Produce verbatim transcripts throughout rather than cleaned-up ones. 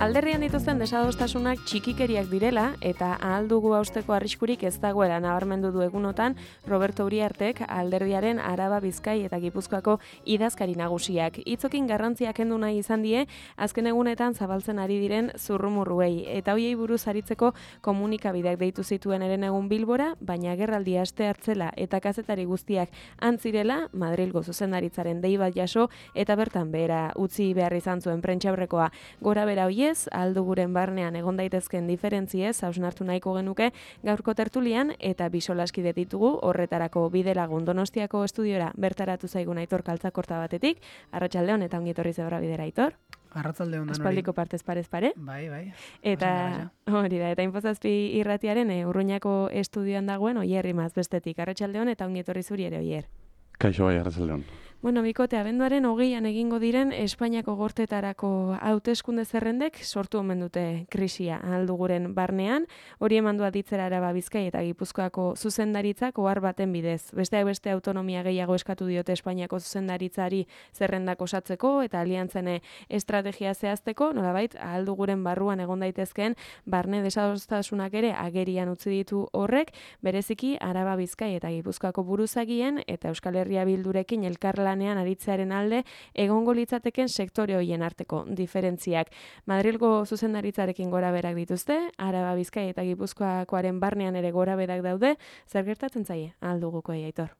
Alderrian dituzten desadostasunak txikikeriak direla eta ahal dugu hausteko arriskurik ez dagoela nabarmendu du egunotan Roberto Uriartek alderdiaren Araba, Bizkai eta Gipuzkoako idazkari nagusiak. Hitzokin garrantzia kendu nahi izan die azken egunetan zabaltzen ari diren zurrumurruei eta hoiei buruz aritzeko komunikabideak deitu zituen eren egun Bilbora, baina agerraldia aste hartzela eta kazetari guztiak antzirela Madrilgo zuzendaritzaren dei bat jaso eta bertan behera utzi behar izan zuen prentsaurrekoa. Gora bera hoiez, aldu guren barnean egon daitezken diferentziez hausnartu nahiko genuke gaurko tertulian eta bisolaskide ditugu horretarako bidelagun Donostiako estudiora bertaratu zaigun Aitor Kaltzakorta batetik. Arratsaldeon eta ongi etorri zebra bidera, Aitor. Arratsaldeon danori. Aspaldiko partez parez pare. Bai, bai. Eta hori da, eta Inpozazpi irratiaren e, Urruñako estudioan dagoen Oier Imaz bestetik. Arratsaldeon eta ongi etorri zuri ere, Oier. Kaixo bai, arratsaldeon. Bueno, bikote, abenduaren hogeian egingo diren Espainiako gorteetarako hauteskunde zerrendek sortu omen dute krisia alduguren barnean, hori emandua ditzera Araba, Bizkai eta Gipuzkoako zuzendaritzak ohar baten bidez. Besteak beste autonomia gehiago eskatu diote Espainiako zuzendaritzari zerrendak osatzeko eta aliantzen estrategia zehazteko, nolabait alduguren barruan egon daitezkeen barne desadostasunak ere agerian utzi ditu horrek, bereziki Araba, Bizkai eta Gipuzkoako buruzagien eta Euskal Herria Bildurekin elkarlanean aritzearen alde egongo litzateken sektore hoien arteko diferentziak. Madrilgo zuzendaritzarekin gora berak dituzte, Araba, Bizkai eta Gipuzkoakoaren barnean ere gora berak daude, zer gertatzen zaie alduguko Aitor?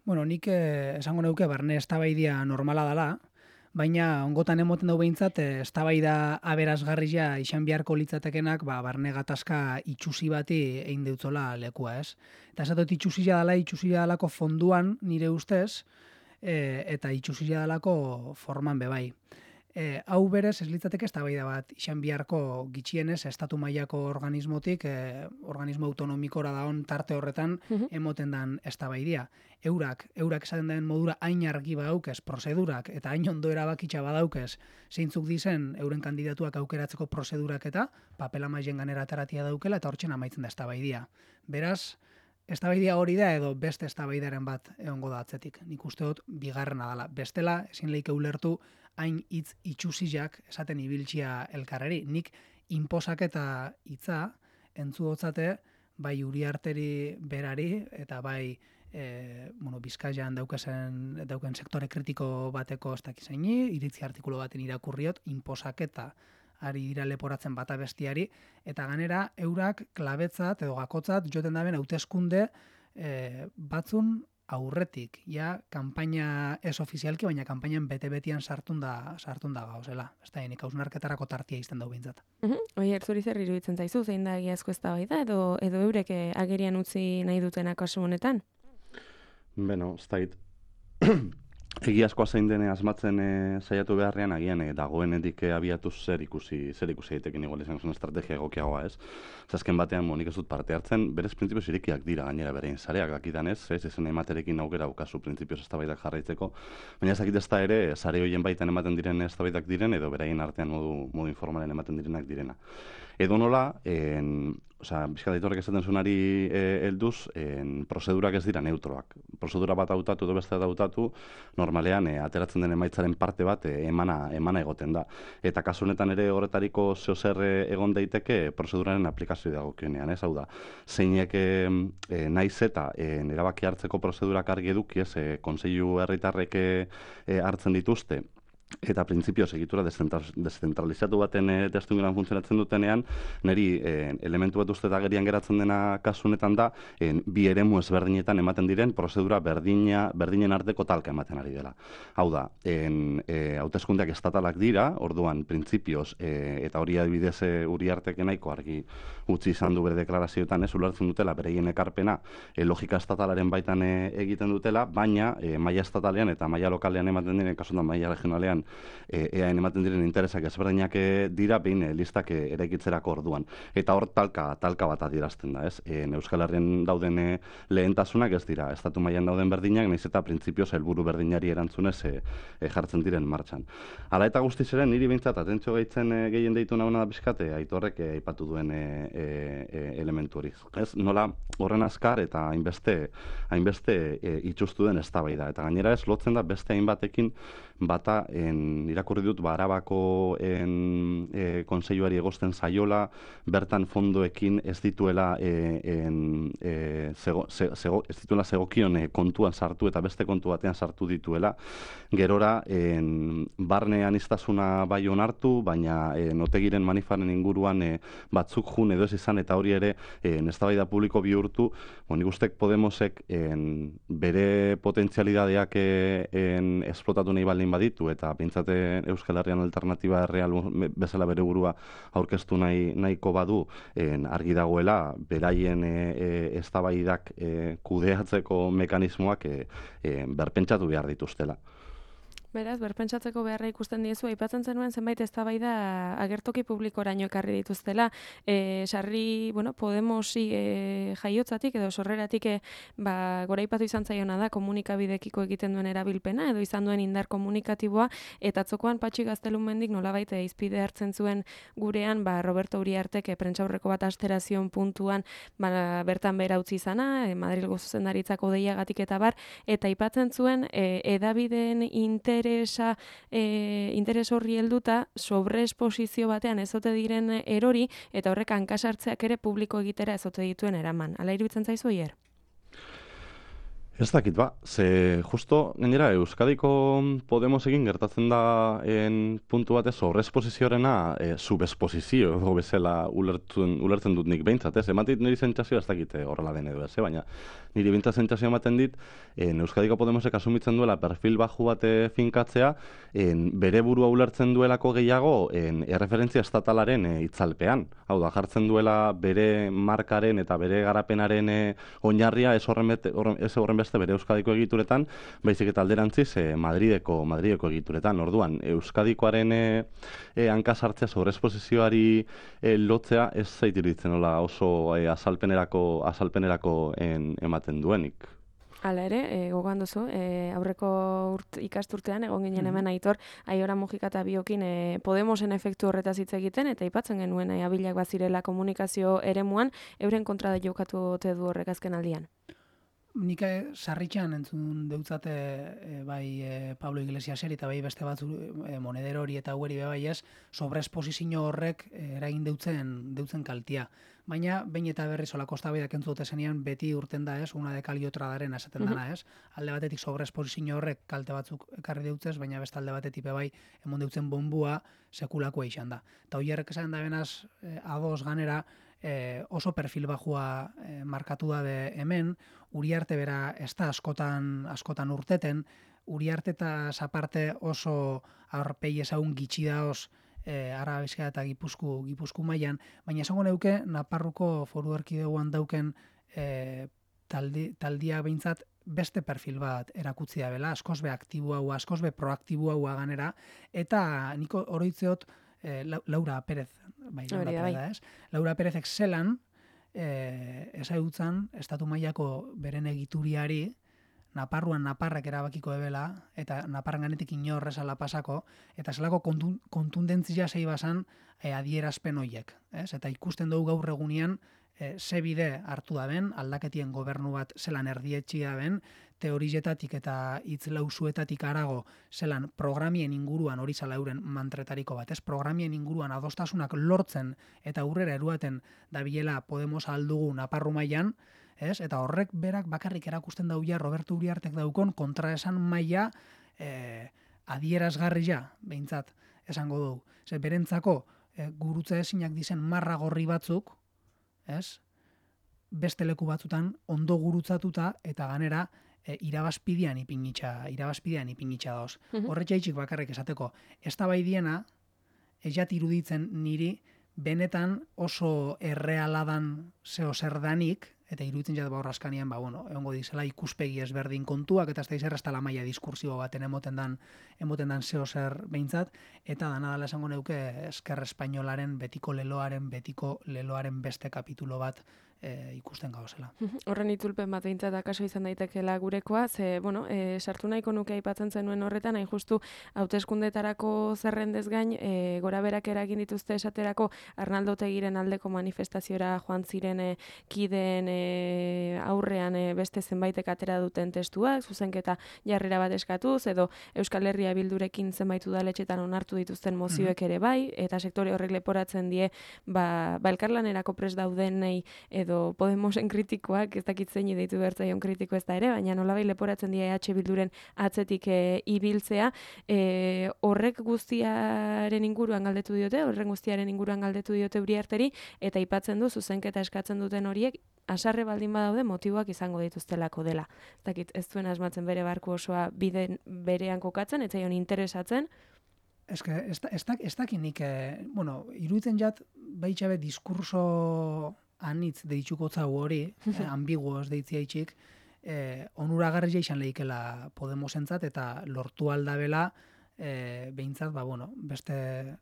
Bueno, nik eh, esango neuke barne eztabaidia normala dela, baina ongotan emoten dau behintzat eztabaida aberasgarria izan beharko litzatekenak ba, barne gatazka itxusi bati egin deutzola lekua, ez? Eta esatot itxusia dela, itxusia delako fonduan nire ustez, e, eta itxusia delako forman bebai. E, hau berez ez litzateke eztabaida bat izan beharko gitxienez estatu mailako organismotik, e, organismo autonomikora daon tarte horretan emoten dan eztabaidia. Eurak, eurak esaten den modura hain argi badaukez prozedurak eta hain ondo erabakitza badaukez zeintzuk dizen euren kandidatuak aukeratzeko prozedurak eta papela mailen ganera ataratia daukela eta hortzen amaitzen da eztabaidia. Beraz, eztabaidia hori da edo beste eztabaidaren bat egongo da atzetik. Nik uste dut bigarrena dela. Bestela, ezin leike ulertu hain hitz itxusiak esaten ibiltzia elkarreri. Nik inposak eta hitza entzu hotzate bai Uriarteri berari eta bai e, bueno, Bizkaian daukazen dauken sektore kritiko bateko ez dakizaini, iritzi artikulu baten irakurriot, inposaketa ari dira leporatzen bata bestiari, eta ganera eurak klabetzat edo gakotzat joten daben hauteskunde e, batzun aurretik, ja, kanpaina ez ofizialki, baina kanpainan bete-betian sartun da, sartun da gauzela. Ez da, nik hausnarketarako tartia izten dau bintzat. Uh-huh. Oier, zuri zer iruditzen zaizu, zein da egiazko eztabaida edo, edo eurek agerian utzi nahi dutena kasu honetan? Beno, ez da, egiazkoa zein dene asmatzen e, saiatu beharrean agian e, dagoenetik e, abiatu zer ikusi zer ikusi daitekin igual izan zuen estrategia egokiagoa, ez? Azken batean monik ez dut parte hartzen, berez printzipioz irekiak dira gainera berein sareak dakidanez, ez? Ezen ematerekin aukera ukazu printzipioz eztabaidak jarraitzeko, baina ez dakit ez da ere sare hoien baitan ematen diren eztabaidak diren edo beraien artean modu modu informalen ematen direnak direna. Edo nola, en, osea, Bizkaitarrek esaten zuenari helduz, eh, prozedurak ez dira neutroak. Prozedura bat hautatu edo beste bat hautatu, normalean eh, ateratzen den emaitzaren parte bat eh, emana emana egoten da. Eta kasu honetan ere horretariko zeo zer egon daiteke prozeduraren aplikazio dagokionean, ez? Hau da, zeinek eh, eh, naiz eta eh, erabaki hartzeko prozedurak argi eduki, ez, eh, Kontseilu Herritarrek eh, hartzen dituzte. Eta printzipioz egitura deszentralizatu baten e, testuinguruan funtzionatzen dutenean, niri e, elementu bat uste agerian geratzen dena kasunetan da, e, bi eremu ezberdinetan ematen diren prozedura berdina, berdinen arteko talka ematen ari dela. Hau da, en, e, hauteskundeak estatalak dira, orduan printzipioz, e, eta hori adibidez e, Uriartek nahiko argi utzi izan du bere deklarazioetan, ez ulertzen dutela, bereien ekarpena e, logika estatalaren baitan e, egiten dutela, baina e, maila estatalean eta maila lokalean ematen diren, kasutan maila regionalean E, eaen ematen diren interesak ezberdinak dira behin e, listak e, eraikitzerako orduan. Eta hor talka, talka bat adierazten da, ez? E, Euskal Herrian dauden e, lehentasunak ez dira, estatu mailan dauden berdinak, nahiz eta printzipioz helburu berdinari erantzunez e, e, jartzen diren martxan. Hala eta guztiz ere, niri behintzat atentzio gaitzen e, gehien deitu nahuna da pixkate, Aitorrek e, aipatu duen e, e, e, elementu hori. Ez? Nola horren azkar eta hainbeste, hainbeste e, itxustu den eztabaida. Eta gainera ez lotzen da beste hainbatekin bata e, en, irakurri dut, ba, Arabako en, e, konseiluari egosten zaiola, bertan fondoekin ez dituela e, en, e, zego, ze, zego, ez dituela zegokion e, kontuan sartu eta beste kontu batean sartu dituela. Gerora, en, barne aniztasuna bai onartu, baina e, notegiren manifaren inguruan e, batzuk jun edo ez izan, eta hori ere en, eztabaida publiko bihurtu. Bon, nik ustek Podemosek en, bere potentzialidadeak en, esplotatu nahi baldin baditu, eta bintzate Euskal Herrian alternatiba real bezala bere burua aurkeztu nahi, nahiko badu, en, argi dagoela, beraien e, e, eztabaidak e, kudeatzeko mekanismoak e, e, berpentsatu behar dituztela. Beraz, berpentsatzeko beharra ikusten diezu, aipatzen zenuen zenbait eztabaida agertoki publikoraino ekarri dituztela. E, sarri, bueno, Podemosi e, jaiotzatik edo sorreratik e, ba, goraipatu izan zaiona da komunikabidekiko egiten duen erabilpena edo izan duen indar komunikatiboa, eta atzokoan Patxi Gaztelumendik nolabait izpide hartzen zuen gurean, ba, Roberto Uriartek e, prentsaurreko bat asterazion puntuan ba, bertan bera utzi izana, e, Madrilgo zuzendaritzako deiagatik eta bar, eta aipatzen zuen e, edabideen inter interesa, e, interes horri helduta sobreesposizio batean ezote diren erori, eta horrek hankasartzeak ere publiko egitera ezote dituen eraman. Hala iruditzen zaizu hier? Ez dakit ba, ze justo gainera Euskadiko Podemos egin gertatzen da en puntu batez sobreesposiziorena e, subesposizio edo bezala ulertzen, ulertzen dut nik behintzat, ez? Ematit niri zentzazioa ez dakit horrela den edo ez, baina niri behintzat zentzazioa ematen dit en Euskadiko Podemosek asumitzen duela perfil baju bate finkatzea, en bere burua ulertzen duelako gehiago en erreferentzia estatalaren e, itzalpean. Hau da, jartzen duela bere markaren eta bere garapenaren e, oinarria ez horren, bete, horren, ez horren beste bere Euskadiko egituretan, baizik eta alderantziz e, Madrideko, Madrideko egituretan. Orduan, Euskadikoaren e, e, hankasartzea sobreesposizioari e, lotzea ez zait iruditzen nola oso e, azalpenerako, azalpenerako en, ematen duenik. Hala ere, e, gogoan duzu, e, aurreko urt, ikasturtean, egon ginen hemen Aitor, Aiora Mujika eta biokin e, Podemosen efektu horretaz hitz egiten, eta aipatzen genuen e, abilak bazirela komunikazio eremuan, euren kontra da jokatu ote du horrek azken aldian. Nik sarritxean entzun deutzate e, bai e, Pablo Iglesiaseri eta bai beste batzu e, Monedero hori eta haueri bai ez, sobreesposizio horrek e, eragin deutzen, deutzen kaltia. Baina, behin eta berriz olako eztabaidak entzun dute zenean, beti urten da ez, una de kali otra daren esaten dana ez. Alde batetik sobreesposizio horrek kalte batzuk ekarri deutzez, baina beste alde batetik bai emon deutzen bonbua sekulakoa izan da. Eta hoiarrek esan da benaz, e, ados ganera, E, oso perfil bajua e, markatu da de hemen, Uriarte bera ez da askotan, askotan urteten, Uriarte eta zaparte oso aurpegi ezagun gitxi daoz e, Araba, Bizkaia eta Gipuzku, Gipuzku mailan, baina esango neuke Nafarroko Foru Erkidegoan dauken e, taldi, taldia behintzat beste perfil bat erakutzi da bela, askoz be aktiboa, askoz be proaktiboa ganera, eta niko oroitzeot E, Laura Pérez, bai, Laura Pérez da ez. Laura Pérezek zelan, e, ezagutzen, estatu mailako beren egituriari, Naparruan Naparrak erabakiko ebela, eta Naparran ganetik inorrezala pasako, eta zelako kontun, kontundentzia zei basan e, adierazpen hoiek. Ez? Eta ikusten dugu gaur egunean, e, ze bide hartu da ben, aldaketien gobernu bat zelan erdietxi da ben, teorizetatik eta hitz lausuetatik arago zelan programien inguruan hori zala euren mantretariko bat. Ez programien inguruan adostasunak lortzen eta aurrera eruaten dabilela Podemos aldugu Naparru mailan, ez? Eta horrek berak bakarrik erakusten dauia Roberto Uriartek daukon kontraesan maila e, adierazgarria, behintzat, esango dugu. Ze berentzako e, gurutze ezinak dizen marra gorri batzuk, ez? Beste leku batzutan ondo gurutzatuta eta ganera E, irabazpidean ipinitxa, irabazpidean ipinitxa dauz. Uh-huh. Horretxaitxik bakarrik esateko, ez da bai diena, ez jat iruditzen niri, benetan oso errealadan zeo zerdanik, eta iruditzen jat baurraskanian, ba, bueno, egongo dizela ikuspegi ezberdin kontuak, eta ez da izerra ez da la maia diskursibo baten emoten dan, emoten dan zeo zer behintzat, eta dana dala esango neuke esker espainolaren betiko leloaren, betiko leloaren beste kapitulo bat e, ikusten gauzela. Horren itzulpen bat behintzat akaso izan daitekeela gurekoa, ze, bueno, e, sartu nahiko nuke aipatzen zenuen horretan, hain justu hauteskundetarako zerrendez gain, e, gora berak eragin dituzte esaterako Arnaldo Otegiren aldeko manifestaziora joan ziren e, kideen e, aurrean e, beste zenbaitek atera duten testuak, zuzenketa jarrera bat eskatuz, edo Euskal Herria Bildurekin zenbait udaletxetan onartu dituzten mozioek ere bai, eta sektore horrek leporatzen die, ba, ba elkarlanerako prest daudenei edo Podemosen kritikoak, ez dakit zein deitu bertzaion kritiko ez da ere, baina nolabai leporatzen dira E H Bilduren atzetik e, ibiltzea, e, horrek guztiaren inguruan galdetu diote, horren guztiaren inguruan galdetu diote Uriarteri, eta aipatzen du zuzenketa eskatzen duten horiek, asarre baldin badaude motiboak izango dituztelako dela. Ez dakit, ez duen asmatzen bere barku osoa biden berean kokatzen, ez zaion interesatzen. Ez que, ez, ez, ez dakinik, eh, bueno, iruditzen jat, baitxabe diskurso anitz deitzuko zau hori, eh, ambiguos deitzia itxik, eh, onuragarria izan lehikela Podemosentzat, eta lortu aldabela, eh, behintzat, ba, bueno, beste,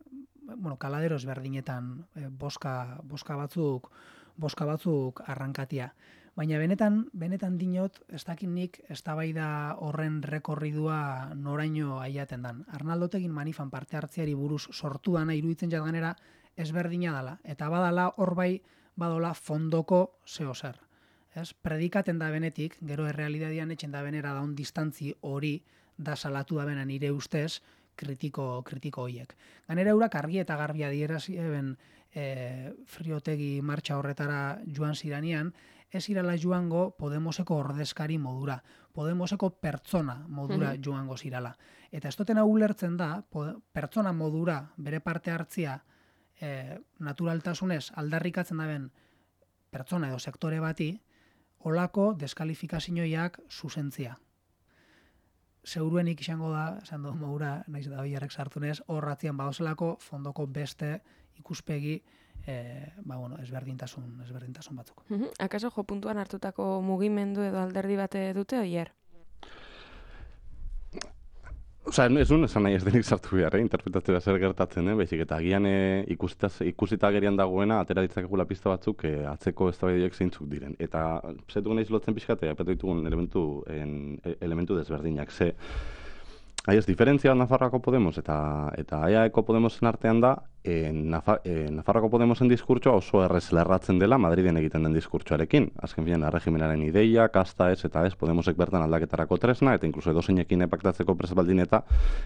bueno, kaladeros berdinetan eh, boska, boska batzuk, boska batzuk arrankatia. Baina benetan, benetan dinot, ez dakinik eztabaida horren rekorridua noraino aiaten dan. Arnaldo Otegin manifan parte hartzeari buruz sortu dana iruditzen jat ganera ezberdina dala. Eta badala hor bai badola fondoko zeo zer. Ez? Predikaten da benetik, gero errealidadian etxen da benera daun distantzi hori da salatu da bena nire ustez kritiko, kritiko hoiek. Ganera eurak argi eta garbia dierazi eben e, Friotegi martxa horretara joan ziranean, ez irala joango Podemoseko ordezkari modura, Podemoseko pertsona modura mm-hmm. joango zirala. Eta ez dutena ulertzen da, pertsona modura bere parte hartzia e, naturaltasunez aldarrikatzen daben pertsona edo sektore bati, olako deskalifikazioiak zuzentzia. Zeuruenik izango da, esan du modura, naiz da biarrek sartunez, horratzian badozelako fondoko beste ikuspegi E, ba, bueno, ezberdintasun, ezberdintasun batzuk. Uh-huh. Akaso jo puntuan hartutako mugimendu edo alderdi bate dute oier? Osa, ez duen esan nahi ez denik sartu behar, eh? Interpretatzea zer gertatzen, eh? Baizik, eta agian eh, ikusita, ikusita gerian dagoena, atera ditzakegula pista batzuk eh, atzeko eztabaideak zeintzuk diren. Eta zetugu nahiz lotzen pixkatea, apetu ditugun elementu, en, elementu desberdinak. Ze, hai ez, diferentzia Nafarroako Podemos eta, eta E A Eko Podemosen artean da, E, Nafa, e, Nafarroako Podemosen diskurtsoa oso errez lerratzen dela Madriden egiten den diskurtsoarekin. Azken finean, erregimenaren ideia, kasta ez eta ez, Podemosek bertan aldaketarako tresna, eta inkluso edozeinekin epaktatzeko presa baldin eta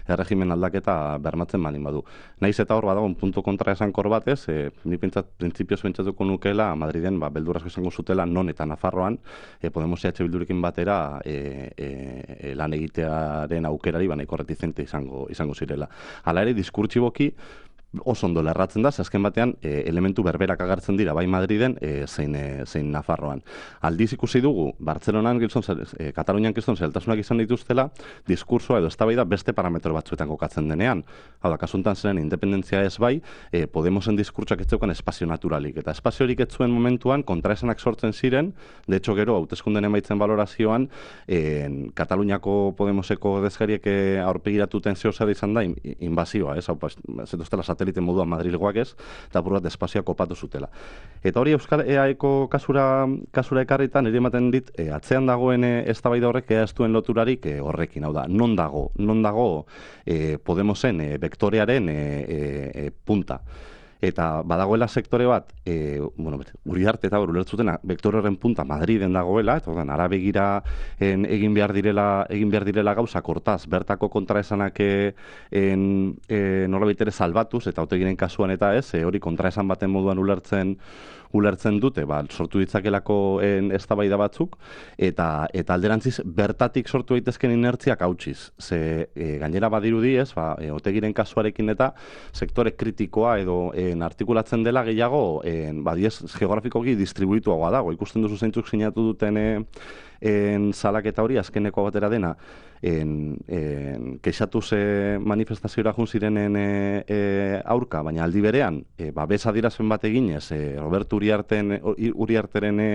erregimen aldaketa bermatzen baldin badu. Naiz eta hor badago, un punto kontra esankor bat ez, e, ni pentsat, printzipioz pentsatuko nukela Madriden ba, beldurrazko izango zutela non eta Nafarroan e, Podemos E H Bildurekin batera e, e, e, lan egitearen aukerari ba, nahiko reticente izango, izango zirela. Hala ere, diskurtsiboki oso ondo lerratzen da, ze azken batean e, elementu berberak agertzen dira, bai Madriden, e, zein, e, zein Nafarroan. Aldiz ikusi dugu, Bartzelonan, giltzon, e, Katalunian giltzon zeltasunak izan dituztela, diskursoa edo eztabaida beste parametro batzuetan kokatzen denean. Hau da, kasuntan zeren independentzia ez bai, e, Podemosen diskurtsoak ez zeukan espazio naturalik. Eta espazio horik ez zuen momentuan, kontraesanak sortzen ziren, de hecho gero, hauteskunden emaitzen valorazioan, e, Kataluniako Podemoseko ordezkariek aurpegiratuten zehozera izan da, inbazioa, ez, hau, zetuztela satelite moduan Madrilgoak ez, eta apur bat espazioa kopatu zutela. Eta hori Euskal E A Eko kasura, kasura ekarritan, nire ematen dit, e, atzean dagoen e, eztabaida horrek ea ez duen loturarik e, horrekin, hau da, non dago, non dago e, Podemosen e, vektorearen e, e, e, punta. Eta badagoela sektore bat, e, bueno, Uriarte eta hor ulertzutena, vektore horren punta Madriden dagoela, eta ordan ara begira en, egin behar direla, egin behar direla gauza kortaz, bertako kontraesanak en, en nolabait ere salbatuz, eta Otegiren kasuan eta ez, e, hori kontraesan baten moduan ulertzen ulertzen dute, ba, sortu ditzakelako eztabaida batzuk, eta eta alderantziz bertatik sortu daitezken inertziak hautsiz. Ze e, gainera badirudi ez, ba, e, Otegiren kasuarekin eta sektore kritikoa edo en, artikulatzen dela gehiago, en, badiez geografikoki distribuituagoa dago. Ikusten duzu zeintzuk sinatu duten e, en salaketa hori azkeneko batera dena, en, en, kexatu ze manifestazioa jun zirenen e, e, aurka, baina aldi berean, e, ba, bez adierazpen bat eginez, e, Roberto Uriarten, Uriarteren e,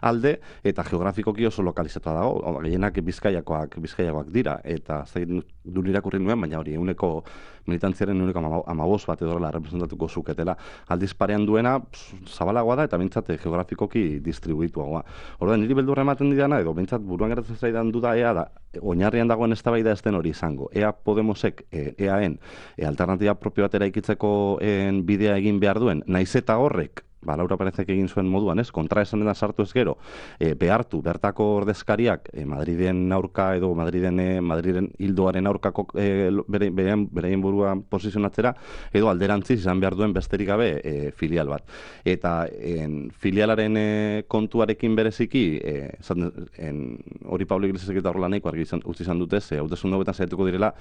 alde, eta geografikoki oso lokalizatua dago, gehienak bizkaiakoak, bizkaiakoak dira, eta zain du irakurri nuen, baina hori, euneko militantziaren uniko amabost bat edorela representatuko zuketela. Aldiz parean duena zabalagoa da eta bintzat geografikoki distribuituagoa. Orduan, niri beldurra ematen didana, edo bintzat buruan geratzen zaidan duda ea da, oinarrian dagoen eztabaida ez den hori izango. Ea Podemosek, e, eaen, e, alternatiba propio batera ikitzeko en, bidea egin behar duen, naiz eta horrek, ba, Laura Perezek egin zuen moduan, ez, kontra esan dena sartu ez gero, e, behartu bertako ordezkariak e, Madriden aurka edo Madriden, e, Madriden hildoaren aurkako e, bere, bere, beraien burua posizionatzera, edo alderantziz izan behar duen besterik gabe e, filial bat. Eta en, filialaren e, kontuarekin bereziki, e, zan, en, hori Pablo Iglesiasek eta horrela nahiko argi izan, utzi izan dutez, e, hauteskunde hauetan saiatuko direla,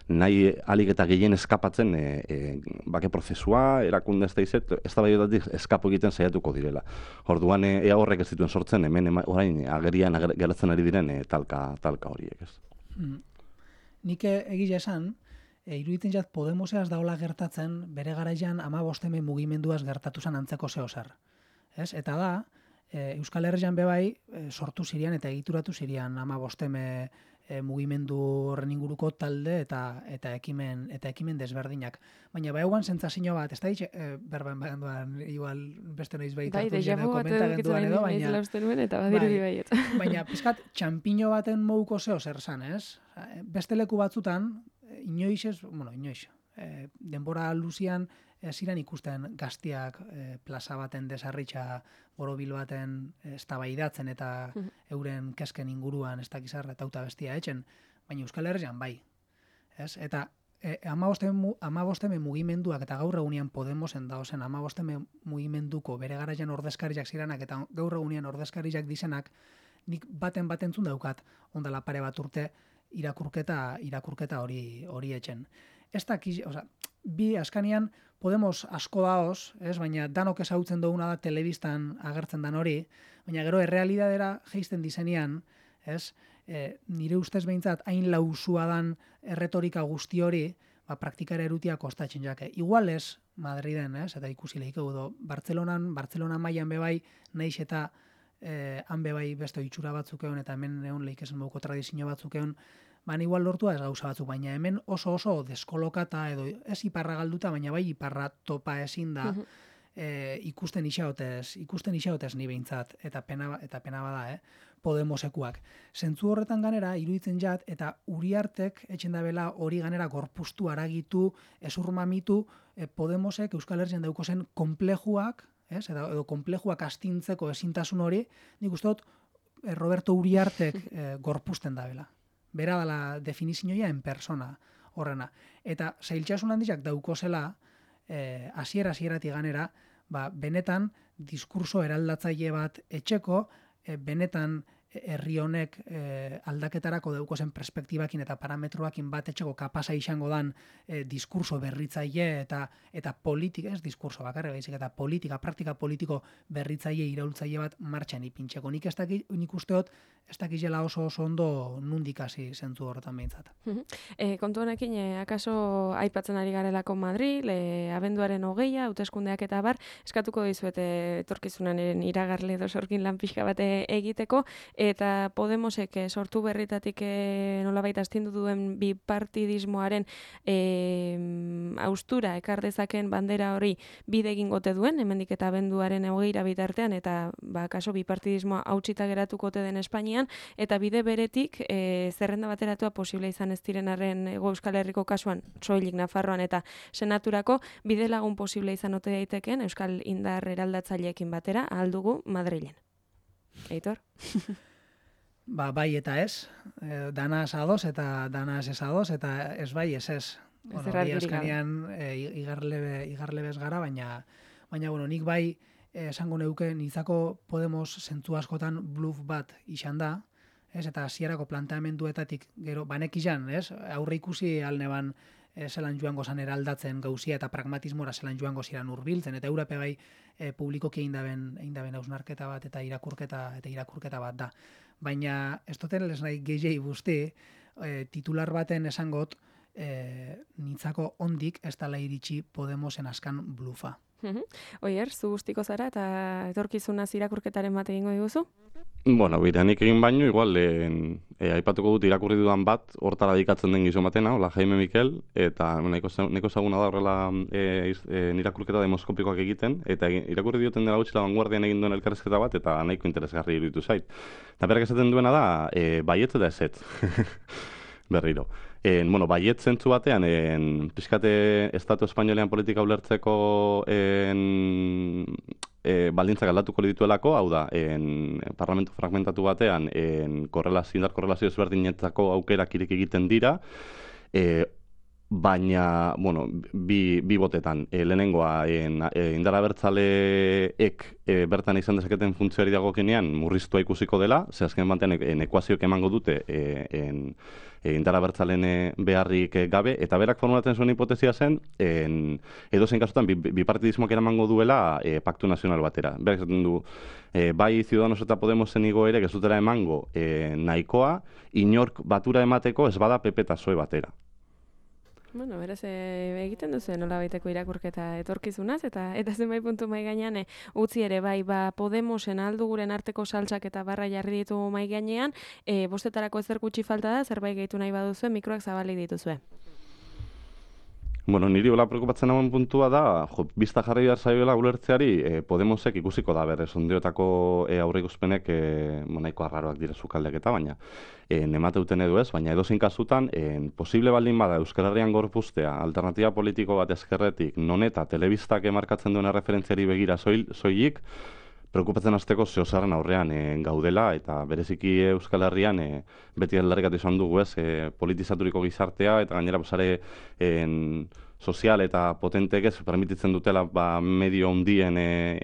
nahi alik eta gehien eskapatzen e, e, bake prozesua, erakunde ez da izet, ez da baiotatik eskapo egiten saiatuko direla. Orduan ea horrek ez dituen sortzen hemen ema, orain agerian ager, geratzen ari diren e, talka, talka horiek, ez. Hmm. Nik egile esan, e, iruditzen jat Podemoseaz daola gertatzen bere garaian amabosteme mugimenduaz gertatu zen antzeko zehozer. Ez? Eta da, e, Euskal Herrian bebai e, sortu zirian eta egituratu zirian amabosteme e, mugimendu horren inguruko talde eta eta ekimen eta ekimen desberdinak. Baina baiuan sentsazio bat, ez da hitz e, berban banduan igual beste noiz baita hartu jena komentagenduan edo, baina eta badirudi baiet. Baina pizkat txanpiño baten moduko zeo zer san, ez? Beste leku batzutan inoiz ez, bueno, inoiz. E, denbora luzian ziren ikusten gaztiak e, plaza baten desarritxa borobil baten eztabaidatzen eta uh-huh. euren kesken inguruan ez dakizarra eta bestia etxen, baina Euskal Herrian bai. Ez? Eta e, amabosteme mugimenduak eta gaur egunean Podemosen daozen amabosteme mugimenduko bere garaian ordezkariak ziranak eta gaur egunean ordezkariak dizenak, nik baten batentzun daukat ondala pare bat urte irakurketa irakurketa hori hori etxen. Ez dakiz, oza, bi askanian Podemos asko daoz, ez, baina danok ezagutzen duguna da telebistan agertzen dan hori, baina gero errealidadera jeisten dizenean, ez, e, nire ustez behintzat hain lausua dan erretorika guzti hori, ba, praktikara erutia kostatzen jake. Igual ez Madriden, ez, eta ikusi lehik edo, Bartzelonan, Bartzelona mailan bebai, nahiz eta eh, han bebai beste itxura batzuk egon, eta hemen egon lehik esan moduko tradizio batzuk egon, ban igual lortua ez gauza batzuk, baina hemen oso oso deskolokata edo ez iparra galduta, baina bai iparra topa ezin da uh-huh. e, ikusten isaotez, ikusten isaotez ni behintzat, eta pena, eta pena bada, eh? Podemosekuak. Zentzu horretan ganera, iruditzen jat, eta Uriartek etxen da bela hori ganera gorpuztu, aragitu, ezurmamitu, e, Podemosek Euskal Herrian dauko zen konplejuak, ez? Edo, edo konplejuak astintzeko ezintasun hori, nik uste dut e, Roberto Uriartek e, gorpuzten da bela. Bera dela definizioa en persona horrena. Eta zailtxasun handiak daukozela, eh, asiera asierati ganera, ba, benetan diskurso eraldatzaile bat etxeko, eh, benetan herri honek eh, aldaketarako daukozen perspektibakin eta parametroakin bat etxeko kapasa izango dan eh, diskurso berritzaile eta eta politika, ez diskurso bakarra baizik eta politika, praktika politiko berritzaile iraultzaile bat martxan ipintzeko. Nik ez dakit, nik usteot, ez dakizela oso oso ondo nundik hasi zentzu horretan behintzat. E, kontu honekin, e, akaso aipatzen ari garelako Madril, e, abenduaren hogeia, hauteskundeak eta bar, eskatuko dizuet etorkizunaren iragarle edo sorkin lan pixka bat egiteko, eta Podemosek sortu berritatik e, nolabait astindu duen bipartidismoaren e, austura ekar dezaken bandera hori bide egingote duen, hemendik eta abenduaren hogeira bitartean, eta ba, kaso bipartidismoa hautsita geratuko te den Espainian, eta bide beretik e, zerrenda bateratua posible izan ez direnaren Hego Euskal Herriko kasuan, soilik Nafarroan eta Senaturako, bide lagun posible izan ote daiteken Euskal Indar eraldatzaileekin batera, ahal dugu Madrilen. Eitor? Ba, bai eta ez, e, danaz ados eta danaz ez ados, eta ez bai ez ez. Bueno, bi askanean e, igarlebe, igarlebez gara, baina, baina bueno, nik bai e, esango neuke nitzako Podemos zentzu askotan bluff bat izan da, ez, eta hasierako planteamenduetatik gero, banek izan, ez, aurre ikusi alneban e, zelan joango zan eraldatzen gauzia eta pragmatismora zelan joango ziran hurbiltzen, eta Europe bai e, publikoki eindaben, eindaben hausnarketa bat eta irakurketa eta irakurketa bat da. Baina ez duten les nahi gehiagei guzti, e, titular baten esangot, e, nitzako ondik ez dala iritsi Podemosen askan blufa. Oier, zu guztiko zara eta etorkizunaz irakurketaren bat egingo diguzu? Bueno, biranik egin baino, igual, e, e, aipatuko dut irakurri dudan bat, hortara dedikatzen den gizon batena, hola Jaime Mikel, eta nahiko ezaguna da horrela e, e, irakurketa demoskopikoak egiten, eta irakurri dioten dela gutxi La Vanguardian egin duen elkarrezketa bat, eta nahiko interesgarri iruditu zait. Eta berak esaten duena da, e, baietz eta ezetz. Berriro. En, bueno, baiet zentzu batean, en, pixkate Estatu Espainolean politika ulertzeko en, e, baldintzak aldatuko dituelako, hau da, en, parlamentu fragmentatu batean, en, korrelazio, indar korrelazio ezberdinetzako aukerak irek egiten dira, e, baina, bueno, bi, bi botetan. E, lehenengoa, en, e, indar abertzaleek e, bertan izan dezaketen funtzioari dagokenean murriztua ikusiko dela, ze azken batean en, ekuazioak emango dute e, en, e, indar abertzalen beharrik gabe, eta berak formulatzen zuen hipotezia zen, en, edozein kasutan, bipartidismoak bi eramango duela e, paktu nazional batera. Berak esaten du, e, bai Ciudadanos eta Podemosen igoerek ez dutela emango e, nahikoa, inork batura emateko ez bada P P eta P S O E batera. Bueno, beraz, e, egiten duzu nola baiteko irakurketa etorkizunaz, eta eta zenbait puntu mai gainean e, utzi ere, bai, ba, Podemosen aldu guren arteko saltsak eta barra jarri ditu mai gainean, e, bostetarako ezer gutxi falta da, zerbait gehitu nahi baduzue, mikroak zabalik dituzue. Bueno, niri hola preokupatzen hauen puntua da, jo, bizta jarri behar zaioela ulertzeari, e, Podemosek ikusiko da berrez, ondiotako e, aurreikuspenek e, monaiko arraroak dire zukaldeak eta baina, e, nemate duten edo ez, baina edozein kasutan, e, posible baldin bada Euskal Herrian gorpuztea, alternatiba politiko bat ezkerretik, non eta telebistak emarkatzen duen referentziari begira soil, soilik, preokupatzen hasteko zehozaren aurrean e, gaudela, eta bereziki Euskal Herrian e, beti aldarrikatu izan dugu ez, e, politizaturiko gizartea, eta gainera pasare en, sozial eta potentek ez permititzen dutela ba, medio hondien e,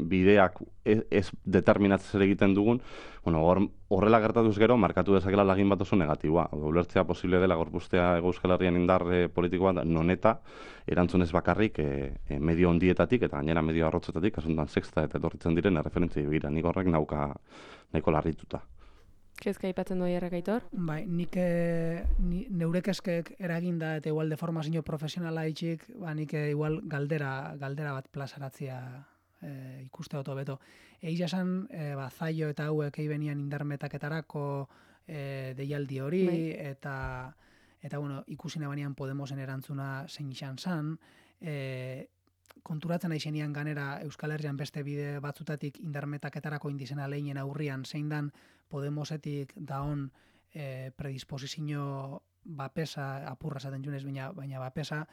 bideak ez, ez determinatzen zer egiten dugun, bueno, or, horrela gertatuz gero, markatu dezakela lagin bat oso negatiboa. Ulertzea posible dela gorpuztea Euskal Herrian indar e, politiko bat, non eta erantzunez bakarrik e, e, medio hondietatik eta gainera medio arrotzetatik, asuntan sexta eta etorritzen diren erreferentzia begira. Nik horrek nauka nahiko larrituta. Kezka aipatzen doi errekaitor? Bai, nik e, ni, neure kezkek eraginda eta igual deformazio profesionala itxik, ba, nik e, igual galdera, galdera bat plazaratzia e, ikuste oto beto. Eixa esan, e, ba, zaio eta hauek eibenian indarmetaketarako e, deialdi hori, bai. eta eta bueno, ikusina banean Podemosen erantzuna zein izan zan, e, konturatzen aixenian ganera Euskal Herrian beste bide batzutatik indarmetaketarako indizena lehinen aurrian zein dan Podemosetik daon e, predisposizio bapesa, apurra zaten junez, baina, baina bapesa,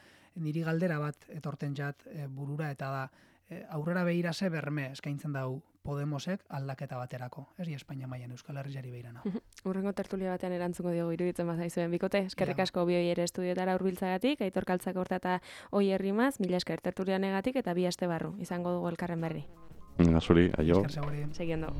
niri galdera bat etorten jat e, burura eta da, e, aurrera behira ze berme eskaintzen dau Podemosek aldaketa baterako, ez di Espainia mailan Euskal Herriari behirana. Urrengo tertulia batean erantzungo diogu iruditzen bazaizuen bikote, eskerrik asko bi ere estudiotara hurbiltzagatik, Aitor Kaltzak horta eta Oier Rimaz, mila esker tertulia negatik eta bi aste barru, izango dugu elkarren berri. Zuri, aio. Esker seguri. Seguiendo.